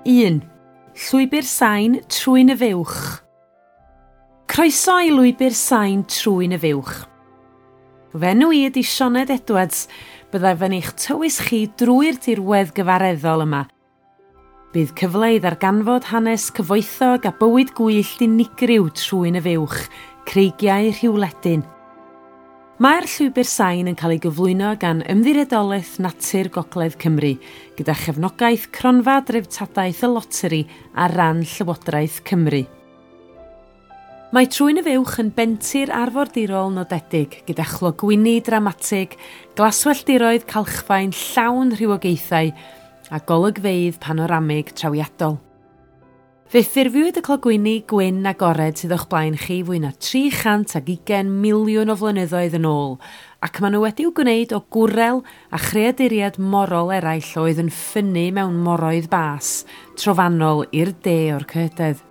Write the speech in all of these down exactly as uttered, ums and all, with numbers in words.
Un. Llwybr sain Trwyn y Fuwch. Croeso i lwybr sain Trwyn y Fuwch. Fy enw i ydy Sioned Edwards, byddaf yn eich tywys chi drwy'r dirwedd gyfareddol yma. Bydd cyfle i ddarganfod hanes cyfoethog a bywyd gwyllt unigryw Trwyn y Fuwch, creigiau Rhiwledyn. Mae'r llwybr sain yn cael ei gyflwyno gan Ymddiriedolaeth Natur Gogledd Cymru, gyda chefnogaeth Cronfa Dreftadaeth y Loteri ar ran Llywodraeth Cymru. Mae Trwyn y Fuwch yn bentir arfordirol nodedig gyda chlogwyni dramatig, glaswelltiroedd calchfaen llawn rhywogaethau a golygfeydd panoramig trawiadol. Fe ffurfiwyd y clogwyni gwyn agored sydd o'ch blaen chi fwy na tri chant ag ugain miliwn o flynyddoedd yn ôl, ac maen nhw wedi'w gwneud o gwrel a chreaduriaid morol eraill oedd yn ffynnu mewn moroedd bas, trofannol i'r de o'r cyhydedd.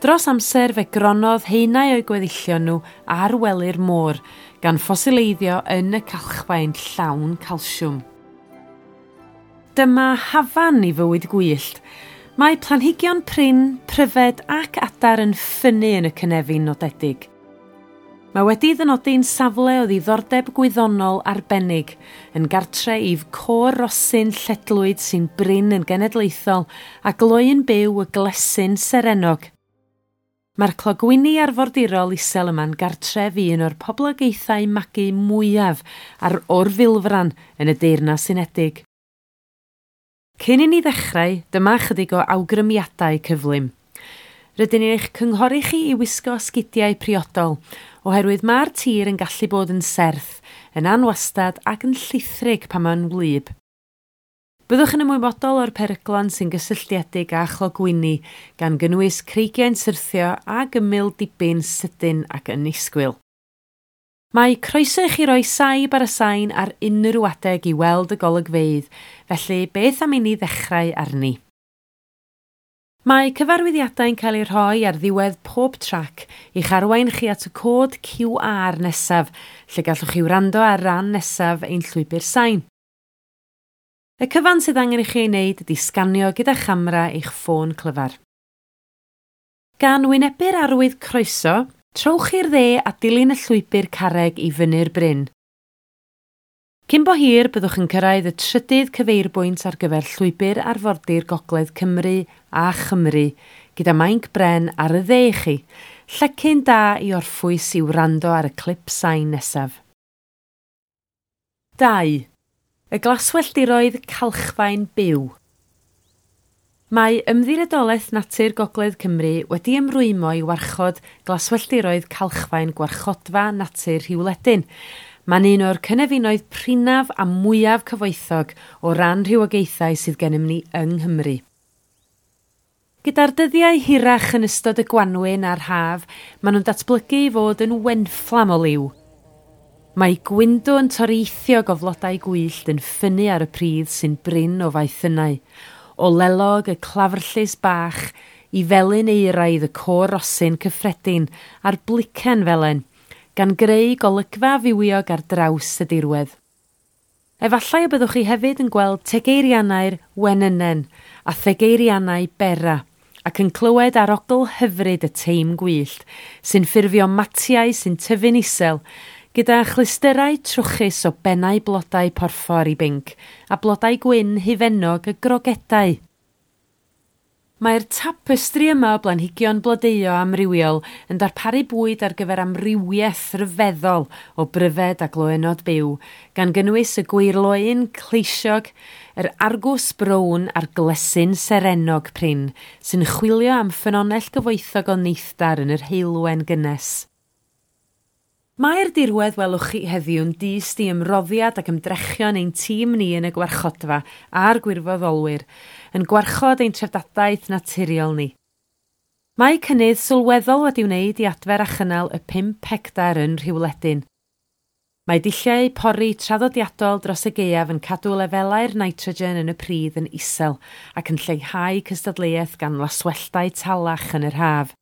Dros amser fe gronodd haenau o'u gweddillion nhw ar wely'r môr, gan ffosileiddio yn y calchfaen llawn calsiwm. Dyma hafan i fywyd gwyllt. Mae planhigion prin, pryfed ac adar yn ffynnu yn y cynefin nodedig. Mae wedi ddynodi'n safle o ddiddordeb gwyddonol arbennig, yn gartre i côr rosyn lledlwyd sy'n brin yn genedlaethol a gloyn byw y glesyn serennog. Mae'r clogwyni arfordirol isel yma'n gartref i un o'r poblogaethau magu mwyaf ar orfilfran yn y Deyrnas Unedig. Cyn i ni ddechrau, dyma chydig o awgrymiadau cyflym. Rydyn ni'n eich cynghori chi i wisgo sgidiau priodol, oherwydd mae'r tir yn gallu bod yn serth, yn anwastad ac yn llithrig pan mae'n wlyb. Byddwch yn ymwybodol o'r peryglon sy'n gysylltiedig â chlogwyni, gan gynnwys creigiau'n syrthio ag ymyl dibyn sydyn ac annisgwyl. Mae croeso i chi roi saib ar y sain ar unrhyw adeg i weld y golygfeydd, felly beth am i ni ddechrau arni? Mae cyfarwyddiadau'n cael eu rhoi ar ddiwedd pob trac i'ch arwain chi at y cod Q R nesaf, lle gallwch chi wrando ar ran nesaf ein llwybr sain. Y cyfan sydd angen i chi ei wneud ydy sganio gyda chamera eich ffôn clyfar. Gan wynebu'r arwydd croeso, trowch i'r dde a dilyn y llwybr carreg i fyny'r bryn. Cyn bo hir, byddwch yn cyrraedd y trydydd cyfeirbwynt ar gyfer llwybr arfordir Gogledd Cymru a Chymru, gyda mainc bren ar y dde i chi, llecyn da i orffwys i wrando ar y clip sain nesaf. Dau. Y glaswelltiroedd calchfaen byw. Mae Ymddiriedolaeth Natur Gogledd Cymru wedi ymrwymo i warchod glaswelltiroedd calchfaen gwarchodfa natur Rhiwledyn. Mae'n un o'r cynefinoedd prinaf a mwyaf cyfoethog o ran rhywogaethau sydd gennym ni yng Nghymru. Gyda'r dyddiau hirach yn ystod y gwanwyn a'r haf, maen nhw'n datblygu i fod yn wenfflam o liw. Mae gwyndwn toreithiog o flodau gwyllt yn ffynnu ar y pridd sy'n brin o faethynnau, o lelog y clafrllys bach i felyn euraidd y côr rosyn cyffredin a'r blicen felen, gan greu golygfa fywiog ar draws y dirwedd. Efallai y byddwch chi hefyd yn gweld tegeirianau'r wenynen a thegeirianau bera, ac yn clywed arogl hyfryd y teim gwyllt, sy'n ffurfio matiau sy'n tyfu'n isel, gyda chlystyrau trwchus o bennau blodau porffor i binc a blodau gwyn hufennog y grogedau. Mae'r tapestri yma o blanhigion blodeuo amrywiol yn darparu bwyd ar gyfer amrywiaeth rhyfeddol o bryfed a gloÿnnod byw, gan gynnwys y gwyrloen cleisiog, yr argws brown a'r glesyn serennog prin, sy'n chwilio am ffynonell gyfoethog o neithdar yn yr heulwen gynnes. Mae'r dirwedd welwch chi heddiw'n dyst i ymroddiad ac ymdrechion ein tîm ni yn y gwarchodfa a'r gwirfoddolwyr, yn gwarchod ein treftadaeth naturiol ni. Mae cynnydd sylweddol wedi wneud i adfer a chynnal y pump hectar yn Rhiwledyn. Mae dulliau pori traddodiadol dros y gaeaf yn cadw lefelau'r nitrogen yn y pridd yn isel ac yn lleihau cystadleuaeth gan laswelltau talach yn yr haf.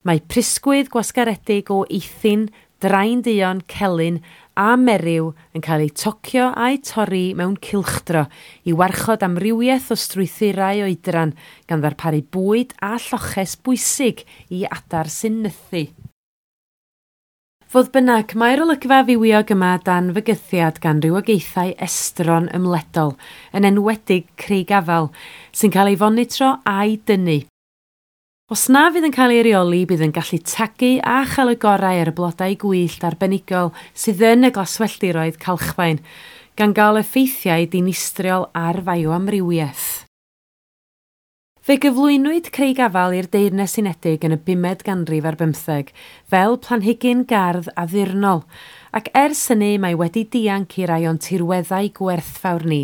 Mae prysgwydd gwasgaredig o eithin, drain duon, celyn a meryw yn cael eu tocio a'u torri mewn cylchdro i warchod amrywiaeth o strwythurau oedran gan ddarparu bwyd a lloches bwysig i adar sy'n nythu. Fodd bynnag, mae'r olygfa fywiog yma dan fygythiad gan rywogaethau estron ymledol, yn enwedig creigafal, sy'n cael ei fonitro a'i dynnu. Os na fydd yn cael ei reoli, bydd yn gallu tagu a chael y gorau ar y blodau gwyllt arbenigol sydd yn y glaswelltiroedd calchfaen, gan gael effeithiau dinistriol ar fioamrywiaeth. Fe gyflwynwyd creigafal i'r Deyrnas Unedig yn y bumed ganrif ar bymtheg fel planhigyn gardd addurnol, ac ers hynny mae wedi dianc i rai o'n tirweddau gwerthfawr ni.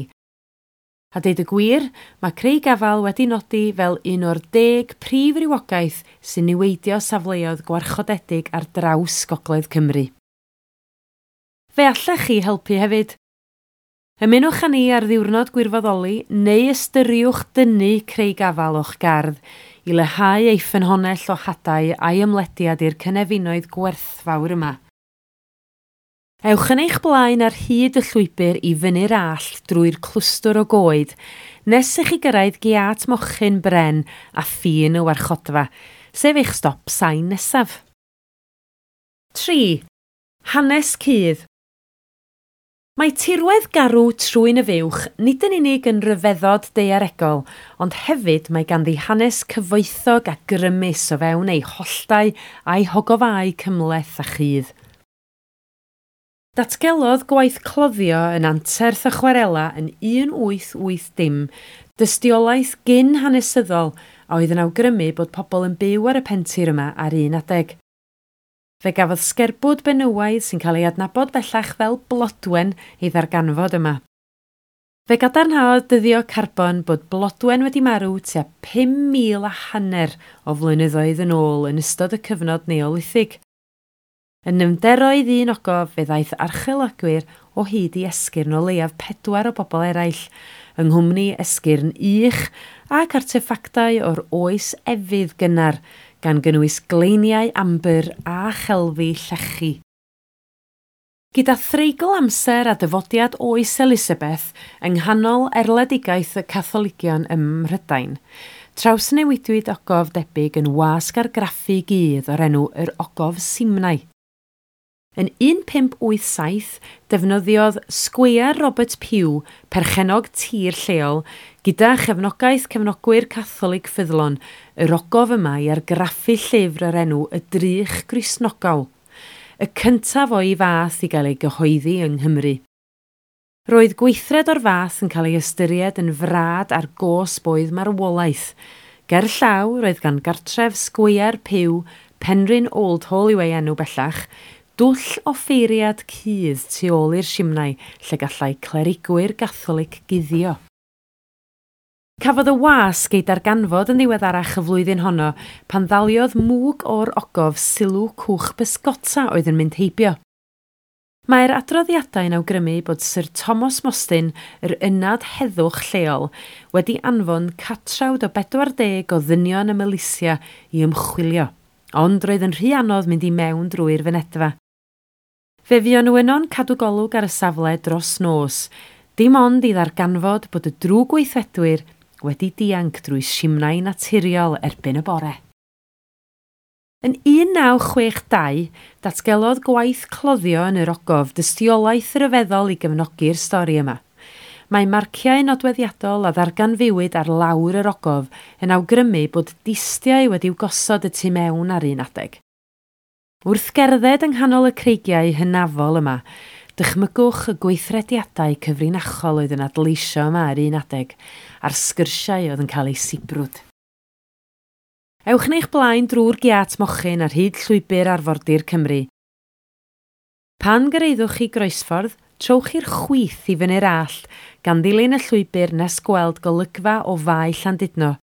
A deud y gwir, mae creigafal wedi nodi fel un o'r deg prif rywogaeth sy'n niweidio safleoedd gwarchodedig ar draws Gogledd Cymru. Fe allech chi helpu hefyd. Ymunwch â ni ar ddiwrnod gwirfoddoli neu ystyriwch dynnu creigafal o'ch gardd i leihau ei ffynhonnell o hadau a'i ymlediad i'r cynefinoedd gwerthfawr yma. Ewch yn eich blaen ar hyd y llwybr i fyny'r allt drwy'r clwstwr o goed, nes i chi gyrraedd giât mochyn bren a ffin y warchodfa, sef eich stop sain nesaf. tri. Hanes cudd. Mae tirwedd garw Trwyn y Fuwch nid yn unig yn ryfeddod daearegol, ond hefyd mae ganddi hanes cyfoethog a grymus o fewn ei holltau a'i hogofau cymhleth a chudd. Datgelodd gwaith cloddio yn anterth y chwarela yn un wyth wyth dim, dystiolaeth gyn hanesyddol a oedd yn awgrymu bod pobl yn byw ar y pentir yma ar un adeg. Fe gafodd sgerbwd benywaidd sy'n cael ei adnabod bellach fel Blodwen ei ddarganfod yma. Fe gadarnhaodd dyddio carbon bod Blodwen wedi marw tua pum mil a hanner o flynyddoedd yn ôl yn ystod y cyfnod Neolithig. Yn nyfnderoedd un ogof fe ddaeth archeologwyr o hyd i esgyrn o leiaf pedwar o bobl eraill, yng nghwmni esgyrn ych ac arteffactau o'r oes efydd gynnar, gan gynnwys gleiniau ambr a chelfi llechi. Gyda threigl amser a dyfodiad oes Elizabeth yng nghanol erledigaeth y Catholigion ym Mhrydain, trawsnewidwyd ogof debyg yn wasg argraffu gudd o'r enw yr Ogof Simnai. Yn un pump wyth saith, defnyddiodd Sgweier Robert Pugh, perchennog tir lleol, gyda chefnogaeth cefnogwyr Catholig ffyddlon, yr ogof yma i argraffu llyfr o'r enw Y Drych Gristnogol, y cyntaf o'i fath i gael ei gyhoeddi yng Nghymru. Roedd gweithred o'r fath yn cael ei ystyried yn frad ar gosb oedd marwolaeth. Ger llaw roedd gan gartref Sgweier Pugh, Penrhyn Old Hall yw ei enw bellach, dwll offeiriad cudd tu ôl i'r simnai lle gallai clerigwyr Gatholig guddio. Cafodd y wasg ei darganfod yn ddiweddarach y flwyddyn honno pan ddaliodd mwg o'r ogof sylw cwch bysgota oedd yn mynd heibio. Mae'r adroddiadau'n awgrymu bod Sir Thomas Mostyn, yr ynad heddwch lleol, wedi anfon catrawd o bedwar deg o ddynion y milisia i ymchwilio, ond roedd yn rhy anodd mynd i mewn drwy'r fynedfa. Fe fuon nhw yno'n cadw golwg ar y safle dros nos, dim ond i ddarganfod bod y drwg gweithredwyr wedi dianc drwy simnai naturiol erbyn y bore. Yn un naw chwech dau, datgelodd gwaith cloddio yn yr ogof dystiolaeth ryfeddol i gefnogi'r stori yma. Mae marciau nodweddiadol a ddarganfuwyd ar lawr yr ogof yn awgrymu bod distiau wedi'w gosod y tu mewn ar un adeg. Wrth gerdded yng nghanol y creigiau hynafol yma, dychmygwch y gweithrediadau cyfrinachol oedd yn adleisio yma ar un adeg, a'r sgyrsiau oedd yn cael eu sibrwd. Ewch yn eich blaen drwy'r giât mochyn ar hyd llwybr arfordir Cymru. Pan gyrhaeddwch chi groesffordd, trowch i'r chwith i fyny'r allt, gan ddilyn y llwybr nes gweld golygfa o Fae Llandudno.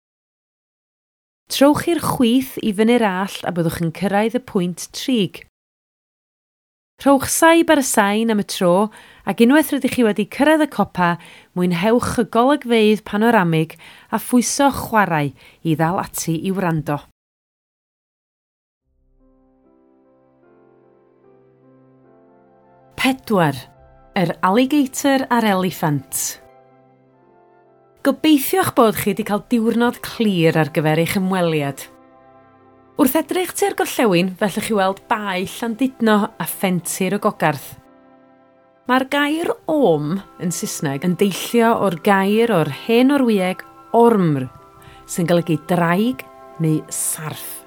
Trowch i'r chwith i fyny'r allt a byddwch yn cyrraedd y pwynt trig. Rhowch saib ar y sain am y tro, ac unwaith rydych chi wedi cyrraedd y copa, mwynhewch y golygfeydd panoramig a phwyso chwarae i ddal ati i wrando. Pedwar. Yr alligator a'r eliffant. Gobeithio'ch bod chi wedi cael diwrnod clir ar gyfer eich ymweliad. Wrth edrych tua'r gorllewin, fellwch chi weld Bae Llandudno a phentir y Gogarth. Mae'r gair "orm" yn Saesneg yn deillio o'r gair o'r hen Norwyeg "ormr", sy'n golygu draig neu sarff,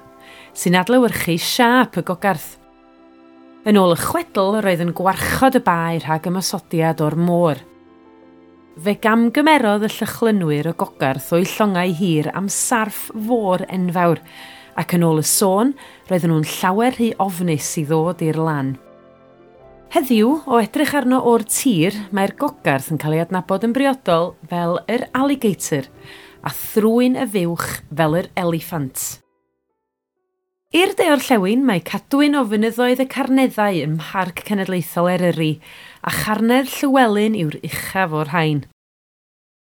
sy'n adlewyrchu siâp y Gogarth. Yn ôl y chwedl, roedd yn gwarchod y bae rhag ymosodiad o'r môr. Fe gamgymerodd y Llychlynwyr y Gogarth o'u llongau hir am sarff fôr enfawr, ac yn ôl y sôn, roedden nhw'n llawer rhy ofnus i ddod i'r lan. Heddiw, o edrych arno o'r tir, mae'r Gogarth yn cael ei adnabod yn briodol fel yr alligator a thrwyn y fuwch fel yr eliffant. I'r de orllewin mae cadwyn o fynyddoedd y Carneddau ym Mharc Cenedlaethol Eryri, a Charnedd Llywelyn yw'r uchaf o'r rhain.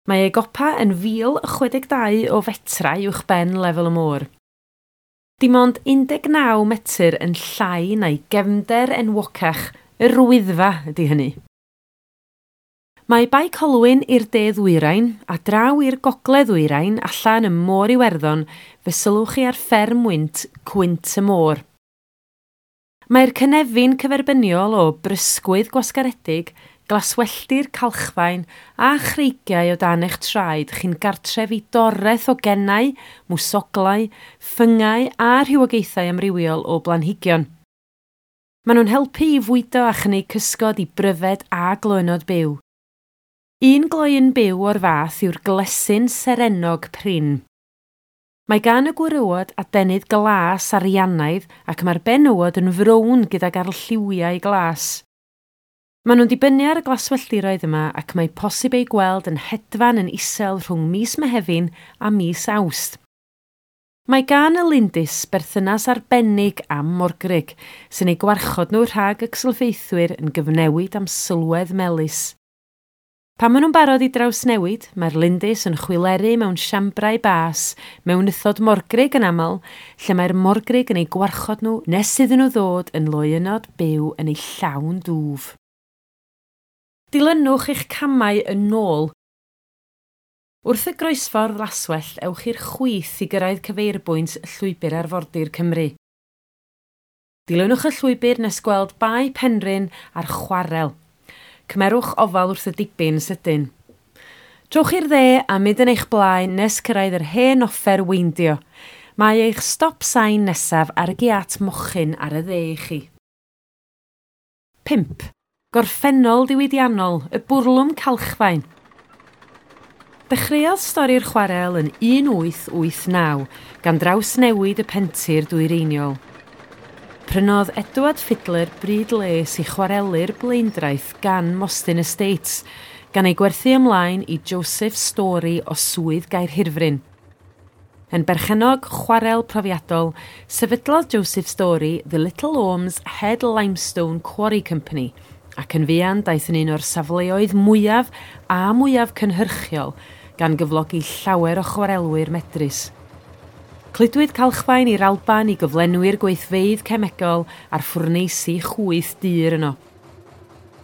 Mae ei gopa yn fil chwe deg dau o fetrau uwch ben lefel y môr. Dim ond un deg naw metr yn llai na'i gefnder enwocach, yr Wyddfa, ydy hynny. Mae Bae Colwyn i'r de ddwyrain a draw i'r gogledd ddwyrain allan ym Môr Iwerddon fe sylwch chi ar fferm wynt Cwynt y Môr. Mae'r cynefin cyferbyniol o brysgwydd gwasgaredig, glaswelltir calchfaen a chreigiau o dan eich traed chi'n gartref i doreth o gennau, mwsoglau, ffyngau a rhywogaethau amrywiol o blanhigion. Maen nhw'n helpu i fwydo a chynnig cysgod i bryfed a gloÿnnod byw. Un gloyn byw o'r fath yw'r glesyn serennog prin. Mae gan y gwrywod adenydd glas ariannaidd ac mae'r benywod yn frown gydag arlliwiau glas. Maen nhw'n dibynnu ar y glaswelltiroedd yma ac mae posib eu gweld yn hedfan yn isel rhwng mis Mehefin a mis Awst. Mae gan y lindys berthynas arbennig am morgrug, sy'n eu gwarchod nhw rhag y cylchdeithwyr yn gyfnewid am sylwedd melys. Pan maen nhw'n barod i drawsnewid, mae'r lindys yn chwileru mewn siambrau bas, mewn nythod morgrug yn aml, lle mae'r morgrug yn eu gwarchod nhw nes iddyn nhw ddod yn loÿnnod byw yn eu llawn dwf. Dilynwch eich camau yn ôl. Wrth y groesffordd laswellt, ewch i'r chwith i gyrraedd cyfeirbwynt Llwybr Arfordir Cymru. Dilynwch y llwybr nes gweld Bae Penrhyn a'r chwarel. Cymerwch ofal wrth y dibyn sydyn. Trowch i'r dde a mynd yn eich blaen nes cyrraedd yr hen offer weindio. Mae eich stop sign nesaf ar y giat mochyn ar y dde i chi. pump. Gorffennol diwydiannol, y bwrlwm calchfaen. Dechreuodd stori'r chwarel yn un wyth wyth naw gan drawsnewid y pentir dwyreiniol. Prynodd Edward Fidler bryd les i chwarelu'r blaendraeth gan Mostyn Estates, gan ei gwerthu ymlaen i Joseph Story o Swydd Gaerhirfryn. Yn berchennog chwarel profiadol, sefydlodd Joseph Story The Little Ormes Head Limestone Quarry Company, ac yn fuan daeth yn un o'r safleoedd mwyaf a mwyaf cynhyrchiol, gan gyflogi llawer o chwarelwyr medrus. Cludwyd calchfaen i'r Alban i gyflenwi'r gweithfeydd cemegol a'r ffwrneisi chwyth dur yno.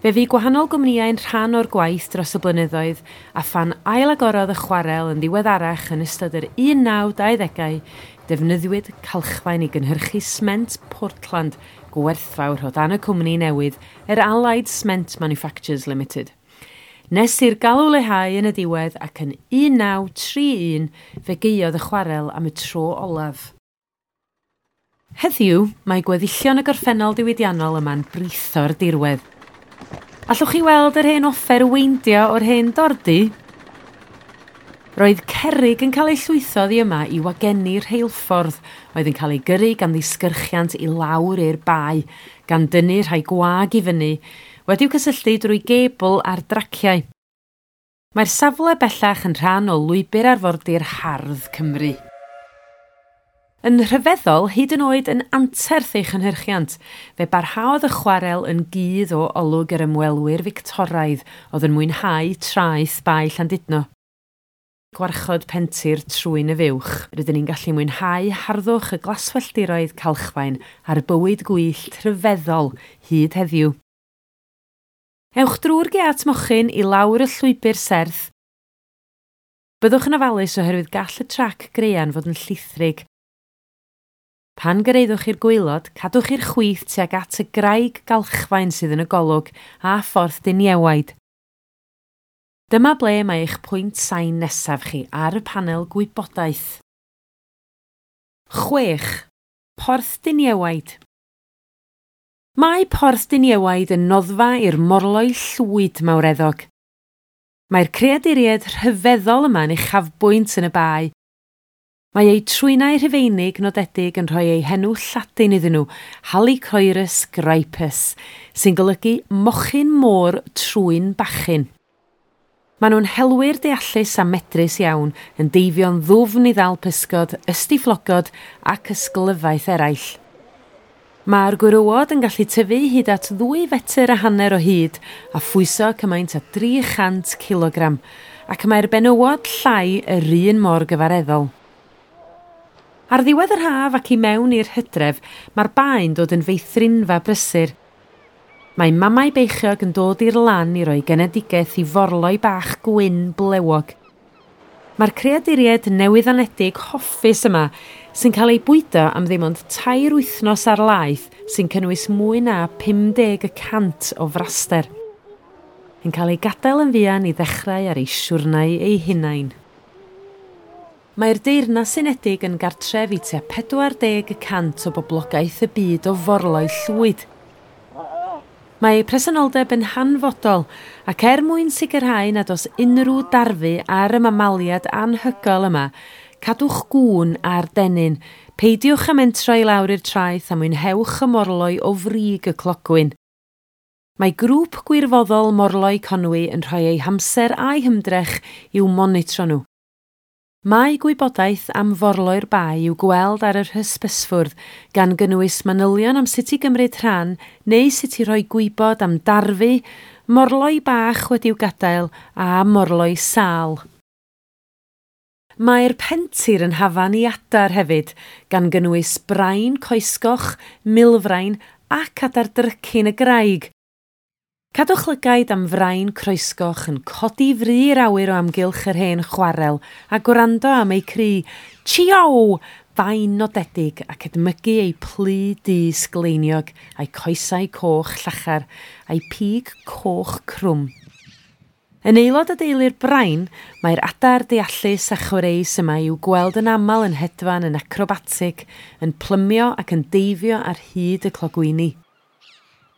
Fe fu gwahanol gwmnïau'n rhan o'r gwaith dros y blynyddoedd a phan ailagorodd y chwarel yn ddiweddarach yn ystod yr un naw dau ddegau, defnyddiwyd calchfaen i gynhyrchu sment Portland gwerthfawr o dan y cwmni newydd, yr Allied Cement Manufacturers Limited. Nes i'r galw leihau yn y diwedd ac yn un naw tri un fe gaeodd y chwarel am y tro olaf. Heddiw, mae gweddillion y gorffennol diwydiannol yma'n britho'r dirwedd. Allwch chi weld yr hen offer weindio o'r hen dordi? Roedd cerrig yn cael eu llwytho oddi yma i wagenni'r rheilffordd oedd yn cael ei gyrru gan ddisgyrchiant i lawr i'r bae, gan dynnu rhai gwag i fyny, wedi'w cysylltu drwy gebl ar draciau. Mae'r safle bellach yn rhan o lwybr arfordir hardd Cymru. Yn rhyfeddol, hyd yn oed yn anterth ei chynhyrchiant, fe barhaodd y chwarel yn gudd o olwg yr ymwelwyr Fictoraidd oedd yn mwynhau traeth Bae Llandudno. Gwarchod pentir Trwyn y Fuwch, rydyn ni'n gallu mwynhau harddwch y glaswelltiroedd calchfaen a'r bywyd gwyllt rhyfeddol hyd heddiw. Ewch drwy'r giât mochyn i lawr y llwybr serth. Byddwch yn ofalus oherwydd gall y trac graean fod yn llithrig. Pan gyraeddwch i'r gwaelod, cadwch i'r chwith tuag at y graig galchfaen sydd yn y golwg a Phorth Diniewaid. Dyma ble mae eich pwynt sain nesaf chi ar y panel gwybodaeth. Chwech. Porth Diniewaid. Mae Porth Diniewaid yn noddfa i'r morloi llwyd mawreddog. Mae'r creaduriaid rhyfeddol yma'n uchafbwynt yn y bae. Mae eu trwynau rhufeinig nodedig yn rhoi eu henw Lladin iddyn nhw, Halichoerus grypus, sy'n golygu mochyn môr trwyn bachyn. Maen nhw'n helwyr deallus a medrus iawn, yn deifio'n ddwfn i ddal pysgod, ystiflogod ac ysglyfaeth eraill. Mae'r gwrywod yn gallu tyfu hyd at ddwy fetr a hanner o hyd a phwyso cymaint â dri chant cilogram, ac mae'r benywod llai yr un mor gyfareddol. Ar ddiwedd yr haf ac i mewn i'r hydref, mae'r bae'n dod yn feithrinfa brysur. Mae mamau beichiog yn dod i'r lan i roi genedigaeth i forloi bach gwyn blewog. Mae'r creaduriaid newydd anedig hoffus yma sy'n cael eu bwydo am ddim ond tair wythnos ar laeth sy'n cynnwys mwy na pum deg y cant o fraster, yn cael eu gadael yn fuan i ddechrau ar eu siwrnai eu hunain. Mae'r Deyrnas Unedig yn gartref i tua pedwar deg y cant o boblogaeth y byd o forloi llwyd. Mae eu presenoldeb yn hanfodol ac er mwyn sicrhau nad oes unrhyw darfu ar y mamaliad anhygoel yma, cadwch gŵn ar dennyn, peidiwch â mentro i lawr i'r traeth a mwynhewch y morloi o frig y clogwyn. Mae grŵp gwirfoddol Morloi Conwy yn rhoi eu hamser a'u hymdrech i'w monitro nhw. Mae gwybodaeth am forloi'r bae i'w gweld ar yr hysbysfwrdd, gan gynnwys manylion am sut i gymryd rhan neu sut i roi gwybod am darfu, morloi bach wedi'w gadael a morloi sâl. Mae'r pentir yn hafan i adar hefyd, gan gynnwys brain coesgoch, milfrain ac adar drycin y graig. Cadwch lygaid am frain croesgoch yn codi fri i'r awyr o amgylch yr hen chwarel a gwrando am eu cri «Chio!» fain nodedig ac edmygu eu plu du sgleiniog a'i coesau coch llachar a'i pig coch crwm. Yn aelod o deulu'r brain, mae'r adar deallus a chwareus yma i'w gweld yn aml yn hedfan yn acrobatig, yn plymio ac yn deifio ar hyd y clogwyni.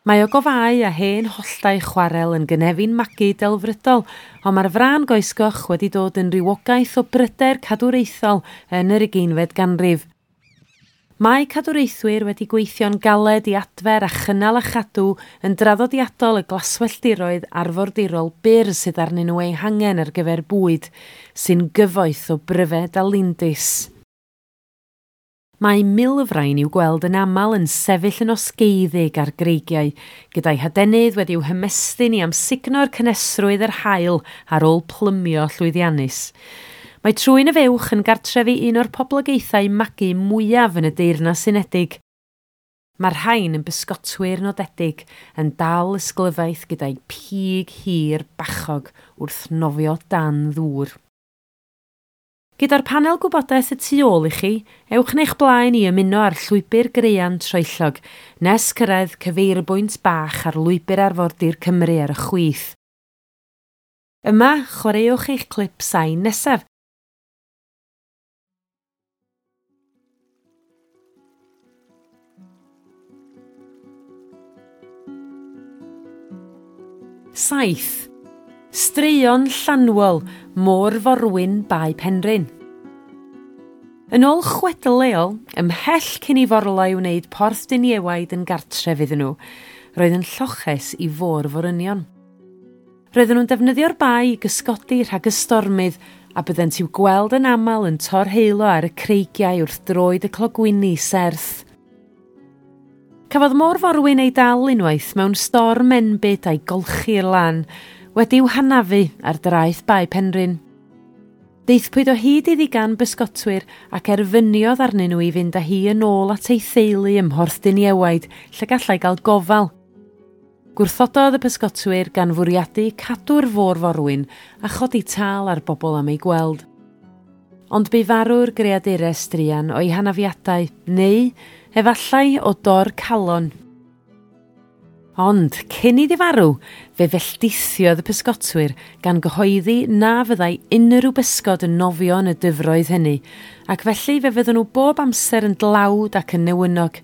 Mae o gofau a hen holltau chwarel yn gynefin magu delfrydol, ond mae'r frân goesgoch wedi dod yn rywogaeth o bryder cadwraethol yn yr ugeinfed ganrif. Mae cadwraethwyr wedi gweithio'n galed i adfer a chynnal a chadw yn draddodiadol y glaswelltiroedd arfordirol byr sydd arnyn nhw eu hangen ar gyfer bwyd, sy'n gyfoeth o bryfed a lindys. Mae milfrain i'w gweld yn aml yn sefyll yn osgeiddig ar greigiau, gyda'i hadenydd wedi'w hymestyn i amsugno'r cynhesrwydd yr haul ar ôl plymio llwyddiannus. Mae trwyn y fuwch yn gartref i un o'r poblogaethau magu mwyaf yn y Deyrnas Unedig. Mae'r rhain yn bysgotwyr nodedig, yn dal ysglyfaeth gyda'i pig hir bachog wrth nofio dan ddŵr. Gyda'r panel gwybodaeth y tu ôl i chi, ewch neu'ch blaen i ymuno â'r llwybr graean troellog, nes cyrraedd cyfeirbwynt bach ar lwybr arfordir Cymru ar y chwith. Yma, chwaraewch eich clip sain nesaf. Saith. Straeon llanwol, môr-forwyn Bae Penrhyn. Yn ôl chwedl leol, ymhell cyn i forloi wneud Porth Diniewaid yn gartref iddyn nhw, roedd yn lloches i fôr-forynion. Roedden nhw'n defnyddio'r bae i gysgodi rhag y stormydd a byddent i'w gweld yn aml yn torheilo ar y creigiau wrth droed y clogwyni serth. Cafodd môr-forwyn ei dal unwaith mewn storm enbyd a'i golchi i'r lan, wedi'w hanafu ar draeth Bae Penrhyn. Daethpwyd o hyd iddi gan bysgotwyr ac erfyniodd arnyn nhw i fynd â hi yn ôl at ei theulu ym Mhorth Diniewaid, lle gallai gael gofal. Gwrthododd y pysgotwyr gan fwriadu cadw'r fôr-forwyn a chodi tâl ar bobl am ei gweld. Ond bu farw'r greadures druan o'i hanafiadau, neu efallai o dor calon. Ond cyn iddi farw, fe felldithiodd y pysgotwyr gan gyhoeddi na fyddai unrhyw bysgod yn nofio yn y dyfroedd hynny, ac felly fe fydden nhw bob amser yn dlawd ac yn newynog.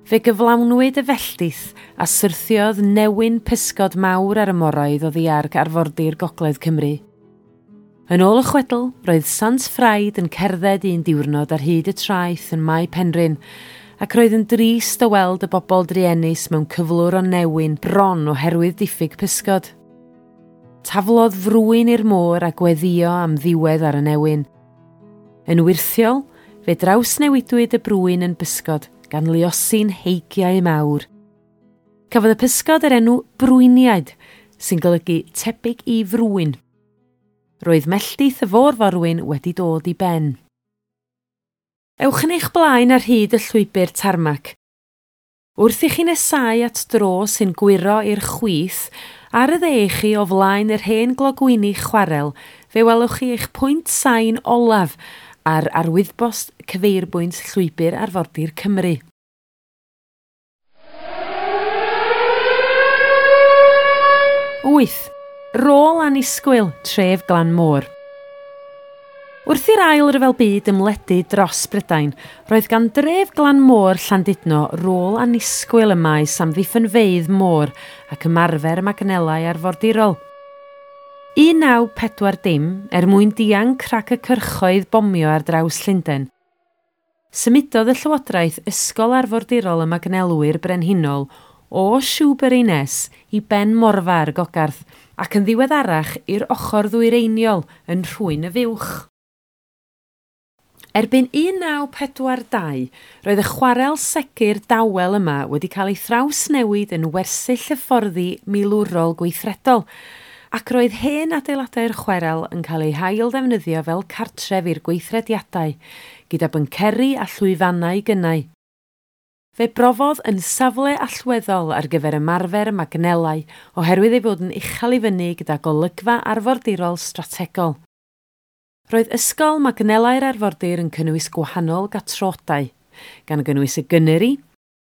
Fe gyflawnwyd y felldith a syrthiodd newyn pysgod mawr ar y moroedd oddi ar arfordir Gogledd Cymru. Yn ôl y chwedl, roedd Sant Ffraid yn cerdded un diwrnod ar hyd y traeth yn Mae Penrhyn, ac roedd yn drist o weld y bobl druenus mewn cyflwr o newyn bron oherwydd diffyg pysgod. Taflodd frwyn i'r môr a gweddio am ddiwedd ar y newyn. Yn wyrthiol, fe drawsnewidwyd y brwyn yn bysgod gan luosi'n heigiau mawr. Cafodd y pysgod yr enw brwyniaid, sy'n golygu tebyg i frwyn. Roedd melltith y fôr-forwyn wedi dod i ben. Ewch yn eich blaen ar hyd y llwybr tarmac. Wrth i chi nesáu at dro sy'n gwyro i'r chwith, ar y dde i chi o flaen yr hen glogwyni chwarel, fe welwch chi eich pwynt sain olaf ar arwyddbost cyfeirbwynt llwybr arfordir Cymru. Wyth. Rôl annisgwyl tref Glan Môr. Wrth i'r ail ryfel byd ymledu dros Brydain, roedd gan dref Glan Môr Llandudno rôl annisgwyl ym maes amddiffynfeydd môr ac ymarfer magnelau arfordirol. un naw pedwar dim, er mwyn dianc rhag y cyrchoedd bomio ar draws Llundain, symudodd y Llywodraeth Ysgol Arfordirol y Magnelwyr Brenhinol o Shoebury Ness i Ben Morfa ar Gogarth ac yn ddiweddarach i'r ochr ddwyreiniol yn Rhwyn y Fuwch. Erbyn un naw pedwar dau, roedd y chwarel segur dawel yma wedi cael ei thrawsnewid yn wersyll hyfforddi milwrol gweithredol, ac roedd hen adeiladau'r chwarel yn cael eu hail ddefnyddio fel cartref i'r gweithrediadau, gyda bynceri a llwyfannau gynnau. Fe brofodd yn safle allweddol ar gyfer ymarfer magnelau oherwydd ei fod yn uchel i fyny gyda golygfa arfordirol strategol. Roedd ysgol magnelau'r arfordir yn cynnwys gwahanol gatrodau, gan gynnwys y Gunnery,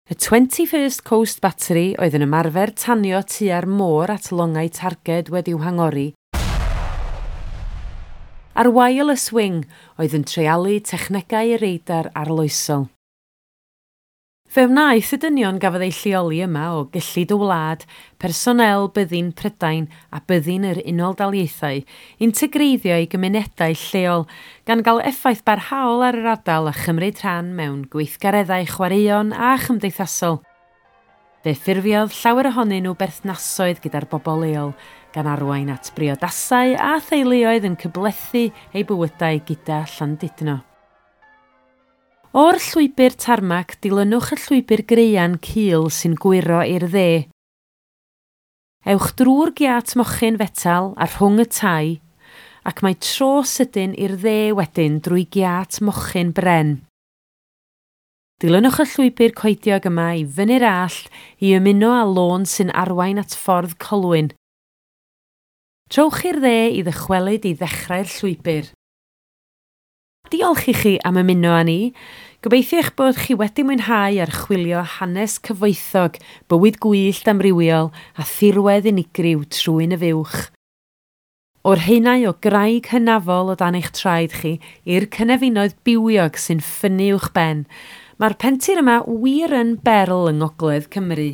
y twenty-first Coast Battery oedd yn ymarfer tanio tua'r môr at longau targed wedi'w hangori, a'r Wireless Wing oedd yn treialu technegau radar arloesol. Fe wnaeth y dynion gafodd eu lleoli yma o gyllid y wlad, personel byddin Prydain a byddin yr Unol Daleithiau, integreiddio i gymunedau lleol, gan gael effaith barhaol ar yr ardal a chymryd rhan mewn gweithgareddau chwaraeon a chymdeithasol. Fe ffurfiodd llawer ohonyn nhw berthnasoedd gyda'r bobl leol, gan arwain at briodasau a theuluoedd yn cyblethu eu bywydau gyda Llandudno. O'r llwybr tarmac, dilynwch y llwybr graean cul sy'n gwyro i'r dde. Ewch drwy'r giât mochyn fetal a rhwng y tai, ac mae tro sydyn i'r dde wedyn drwy giât mochyn bren. Dilynwch y llwybr coediog yma i fyny'r allt i ymuno â lôn sy'n arwain at ffordd Colwyn. Trowch i'r dde i ddychwelyd i ddechrau'r llwybr. Diolch i chi am ymuno â ni. Gobeithio eich bod chi wedi mwynhau archwilio hanes cyfoethog, bywyd gwyllt amrywiol a thirwedd unigryw Trwyn y Fuwch. O'r haenau o graig hynafol o dan eich traed chi i'r cynefinoedd bywiog sy'n ffynnu uwch ben, mae'r pentir yma wir yn berl yng Ngogledd Cymru.